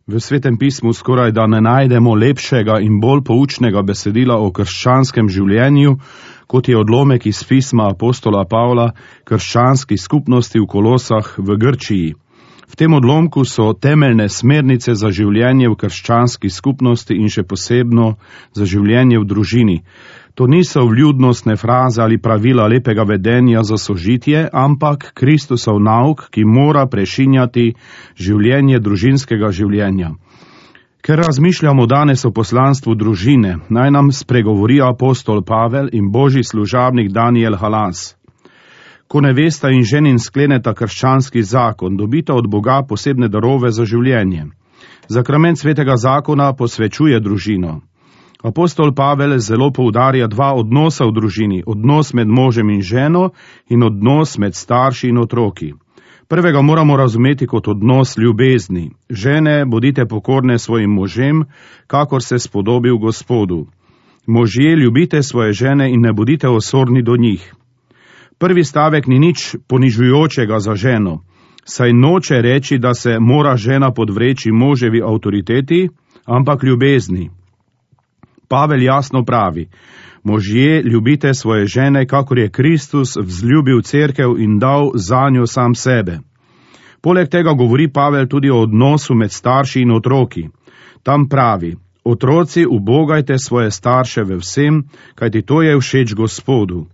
V Svetem pismu skoraj da ne najdemo lepšega in bolj poučnega besedila o krščanskem življenju, kot je odlomek iz pisma apostola Pavla krščanski skupnosti v Kolosah v Grčiji. V tem odlomku so temeljne smernice za življenje v krščanski skupnosti in še posebno za življenje v družini. To niso vljudnostne fraze ali pravila lepega vedenja za sožitje, ampak Kristusov nauk, ki mora prešinjati življenje družinskega življenja. Ker razmišljamo danes o poslanstvu družine, naj nam spregovori apostol Pavel in božji služabnik Daniel Halas. Ko nevesta in ženin skleneta krščanski zakon, dobita od Boga posebne darove za življenje. Zakrament svetega zakona posvečuje družino. Apostol Pavel zelo poudarja dva odnosa v družini, odnos med možem in ženo in odnos med starši in otroki. Prvega moramo razumeti kot odnos ljubezni. Žene, bodite pokorne svojim možem, kakor se spodobi v Gospodu. Možje, ljubite svoje žene in ne bodite osorni do njih. Prvi stavek ni nič ponižujočega za ženo, saj noče reči, da se mora žena podvreči moževi avtoriteti, ampak ljubezni. Pavel jasno pravi, možje, ljubite svoje žene, kakor je Kristus vzljubil cerkev in dal zanjo sam sebe. Poleg tega govori Pavel tudi o odnosu med starši in otroki. Tam pravi, otroci, ubogajte svoje starše ve vsem, kajti to je všeč Gospodu.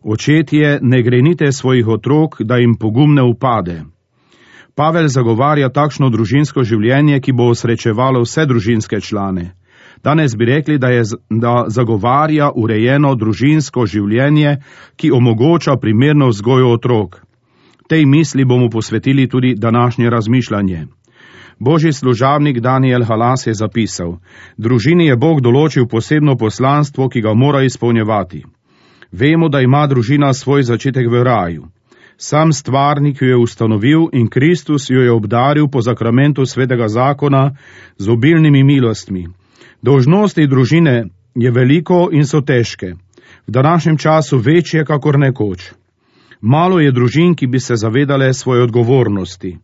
Očetje, ne grenite svojih otrok, da jim pogum ne upade. Pavel zagovarja takšno družinsko življenje, ki bo osrečevalo vse družinske člane. Danes bi rekli, da zagovarja urejeno družinsko življenje, ki omogoča primerno vzgojo otrok. Tej misli bomo posvetili tudi današnje razmišljanje. Božji služabnik Daniel Halas je zapisal, družini je Bog določil posebno poslanstvo, ki ga mora izpolnjevati. Vemo, da ima družina svoj začetek v raju. Sam stvarnik jo je ustanovil in Kristus jo je obdaril po zakramentu svetega zakona z obilnimi milostmi. Dolžnosti družine je veliko in so težke, v današnjem času večje kakor nekoč. Malo je družin, ki bi se zavedale svoje odgovornosti.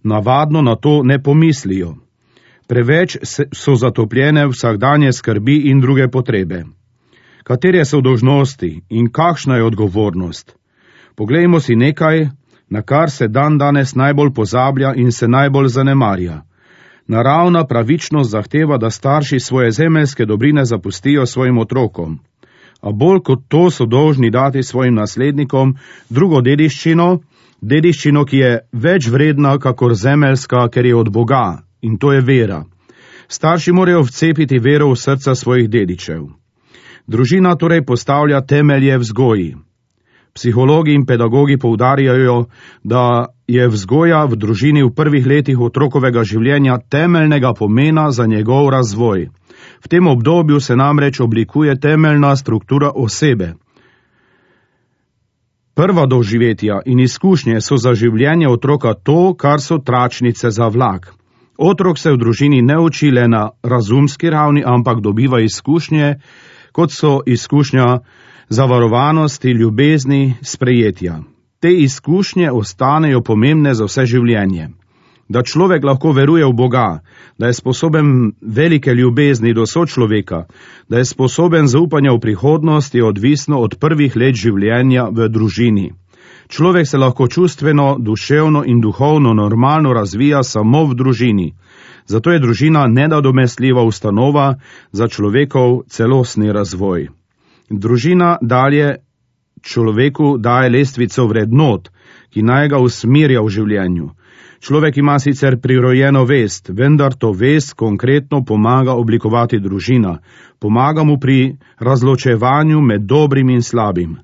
Navadno na to ne pomislijo. Preveč so zatopljene vsakdanje skrbi in druge potrebe. Katere so dolžnosti in kakšna je odgovornost? Poglejmo si nekaj, na kar se danes najbolj pozablja in se najbolj zanemarja. Naravna pravičnost zahteva, da starši svoje zemeljske dobrine zapustijo svojim otrokom. A bolj kot to so dolžni dati svojim naslednikom drugo dediščino, ki je več vredna kakor zemeljska, ker je od Boga, in to je vera. Starši morajo vcepiti vero v srca svojih dedičev. Družina torej postavlja temelje vzgoji. Psihologi in pedagogi poudarjajo, da je vzgoja v družini v prvih letih otrokovega življenja temeljnega pomena za njegov razvoj. V tem obdobju se namreč oblikuje temeljna struktura osebe. Prva doživetja in izkušnje so za življenje otroka to, kar so tračnice za vlak. Otrok se v družini ne uči le na razumski ravni, ampak dobiva izkušnje, kot so izkušnja zavarovanosti, ljubezni, sprejetja. Te izkušnje ostanejo pomembne za vse življenje. Da človek lahko veruje v Boga, da je sposoben velike ljubezni do sočloveka, da je sposoben zaupanja v prihodnost, je odvisno od prvih let življenja v družini. Človek se lahko čustveno, duševno in duhovno normalno razvija samo v družini. Zato je družina nenadomestljiva ustanova za človekov celostni razvoj. Družina dalje človeku daje lestvico vrednot, ki naj ga usmerja v življenju. Človek ima sicer prirojeno vest, vendar to vest konkretno pomaga oblikovati družina, pomaga mu pri razločevanju med dobrim in slabim.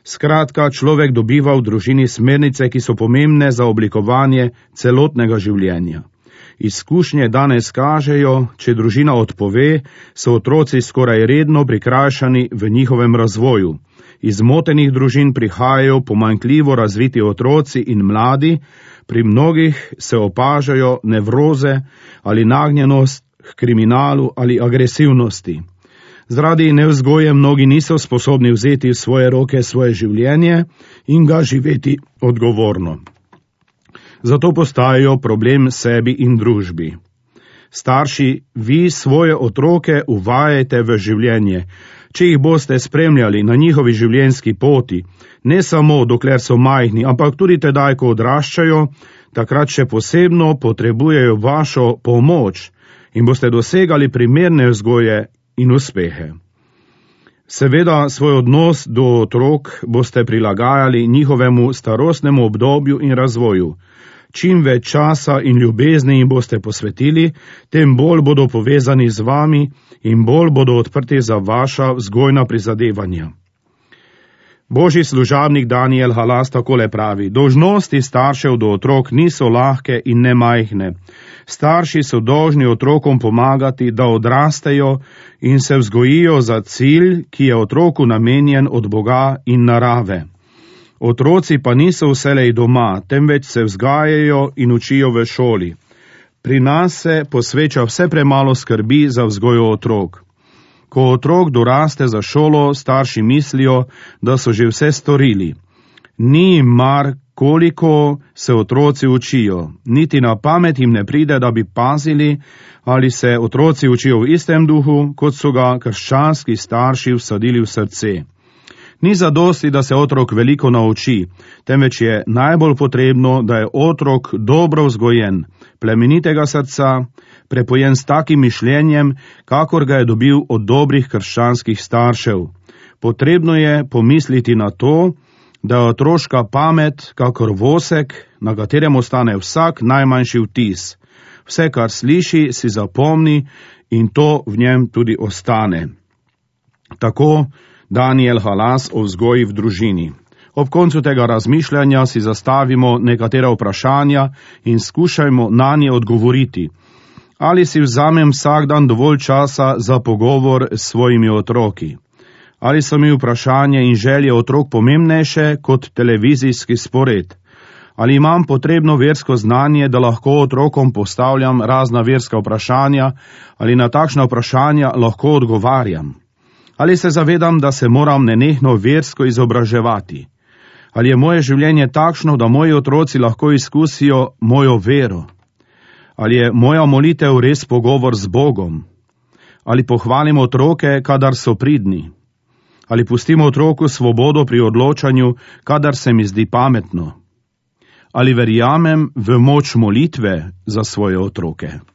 Skratka, človek dobiva v družini smernice, ki so pomembne za oblikovanje celotnega življenja. Izkušnje danes kažejo, če družina odpove, so otroci skoraj redno prikrajšani v njihovem razvoju. Iz motenih družin prihajajo pomanjkljivo razviti otroci in mladi, pri mnogih se opažajo nevroze ali nagnjenost k kriminalu ali agresivnosti. Zaradi nevzgoje mnogi niso sposobni vzeti v svoje roke svoje življenje in ga živeti odgovorno. Zato postajajo problem sebi in družbi. Starši, vi svoje otroke uvajajte v življenje. Če jih boste spremljali na njihovi življenjski poti, ne samo dokler so majhni, ampak tudi tedaj, ko odraščajo, takrat še posebno potrebujejo vašo pomoč in boste dosegali primerne vzgoje in uspehe. Seveda svoj odnos do otrok boste prilagajali njihovemu starostnemu obdobju in razvoju. Čim več časa in ljubezni jim boste posvetili, tem bolj bodo povezani z vami in bolj bodo odprti za vaša vzgojna prizadevanja. Božji služabnik Daniel Halas takole pravi: dolžnosti staršev do otrok niso lahke in nemajhne. Starši so dolžni otrokom pomagati, da odrastejo in se vzgojijo za cilj, ki je otroku namenjen od Boga in narave. Otroci pa niso vselej doma, temveč se vzgajajo in učijo v šoli. Pri nas se posveča vse premalo skrbi za vzgojo otrok. Ko otrok doraste za šolo, starši mislijo, da so že vse storili. Ni jim mar, koliko se otroci učijo. Niti na pamet jim ne pride, da bi pazili, ali se otroci učijo v istem duhu, kot so ga krščanski starši vsadili v srce. Ni zadosti, da se otrok veliko nauči, temveč je najbolj potrebno, da je otrok dobro vzgojen, plemenitega srca, prepojen s takim mišljenjem, kakor ga je dobil od dobrih krščanskih staršev. Potrebno je pomisliti na to, da je otroška pamet kakor vosek, na katerem ostane vsak najmanjši vtis. Vse, kar sliši, si zapomni in to v njem tudi ostane. Tako Daniel Halas o vzgoji v družini. Ob koncu tega razmišljanja si zastavimo nekatera vprašanja in skušajmo na nje odgovoriti. Ali si vzamem vsak dan dovolj časa za pogovor s svojimi otroki? Ali so mi vprašanje in želje otrok pomembnejše kot televizijski spored? Ali imam potrebno versko znanje, da lahko otrokom postavljam razna verska vprašanja, ali na takšna vprašanja lahko odgovarjam? Ali se zavedam, da se moram nenehno versko izobraževati? Ali je moje življenje takšno, da moji otroci lahko izkusijo mojo vero? Ali je moja molitev res pogovor z Bogom? Ali pohvalim otroke, kadar so pridni? Ali pustimo otroku svobodo pri odločanju, kadar se mi zdi pametno? Ali verjamem v moč molitve za svoje otroke?